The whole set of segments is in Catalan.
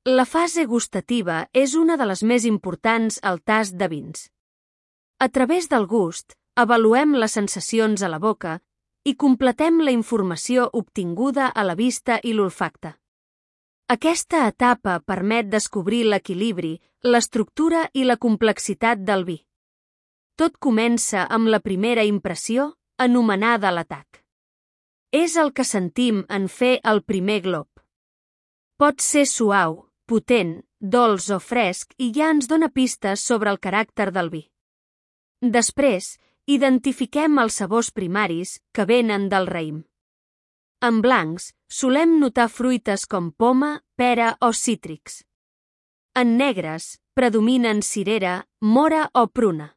La fase gustativa és una de les més importants al tast de vins. A través del gust, avaluem les sensacions a la boca i completem la informació obtinguda a la vista i l'olfacte. Aquesta etapa permet descobrir l'equilibri, l'estructura i la complexitat del vi. Tot comença amb la primera impressió, anomenada l'atac. És el que sentim en fer el primer glop. Pot ser suau, potent, dolç o fresc i ja ens dona pistes sobre el caràcter del vi. Després, identifiquem els sabors primaris que venen del raïm. En blancs, solem notar fruites com poma, pera o cítrics. En negres, predominen cirera, mora o pruna.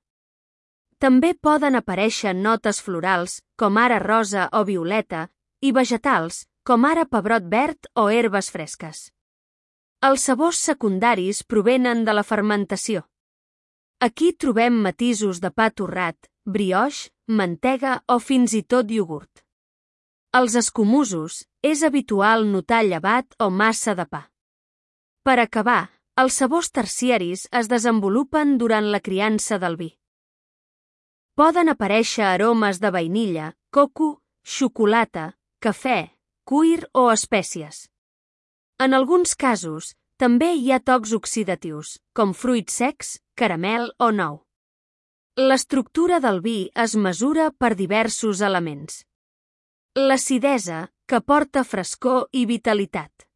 També poden aparèixer notes florals, com ara rosa o violeta, i vegetals, com ara pebrot verd o herbes fresques. Els sabors secundaris provenen de la fermentació. Aquí trobem matisos de pa torrat, brioix, mantega o fins i tot iogurt. Als escumosos, és habitual notar llevat o massa de pa. Per acabar, els sabors terciaris es desenvolupen durant la criança del vi. Poden aparèixer aromes de vainilla, coco, xocolata, cafè, cuir o espècies. En alguns casos, també hi ha tocs oxidatius, com fruits secs, caramel o nou. L'estructura del vi es mesura per diversos elements. L'acidesa, que porta frescor i vitalitat.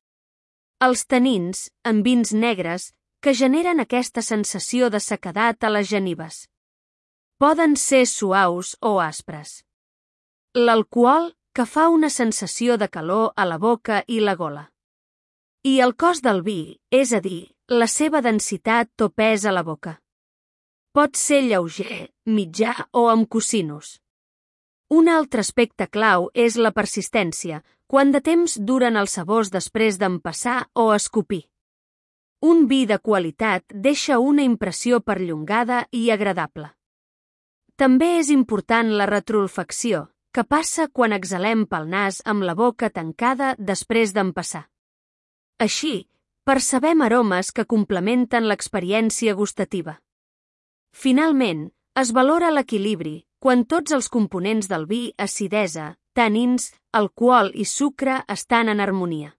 Els tanins, en vins negres, que generen aquesta sensació de sequedat a les genives. Poden ser suaus o aspres. L'alcohol, que fa una sensació de calor a la boca i la gola. I el cos del vi, és a dir, la seva densitat o pes a la boca. Pot ser lleuger, mitjà o amb cosinus. Un altre aspecte clau és la persistència, quant de temps duren els sabors després d'empassar o escopir. Un vi de qualitat deixa una impressió perllongada i agradable. També és important la retroolfacció, que passa quan exhalem pel nas amb la boca tancada després d'empassar. Així, percebem aromes que complementen l'experiència gustativa. Finalment, es valora l'equilibri, quan tots els components del vi, acidesa, tanins, alcohol i sucre estan en harmonia.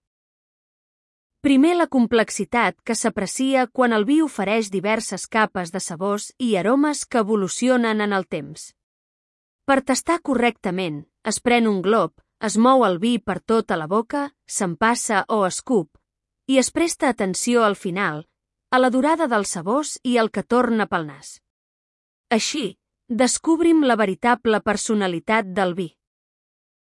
Primer, la complexitat que s'aprecia quan el vi ofereix diverses capes de sabors i aromes que evolucionen en el temps. Per tastar correctament, es pren un glop, es mou el vi per tota la boca, s'empassa o escup, i es presta atenció al final, a la durada dels sabors i el que torna pel nas. Així, descobrim la veritable personalitat del vi.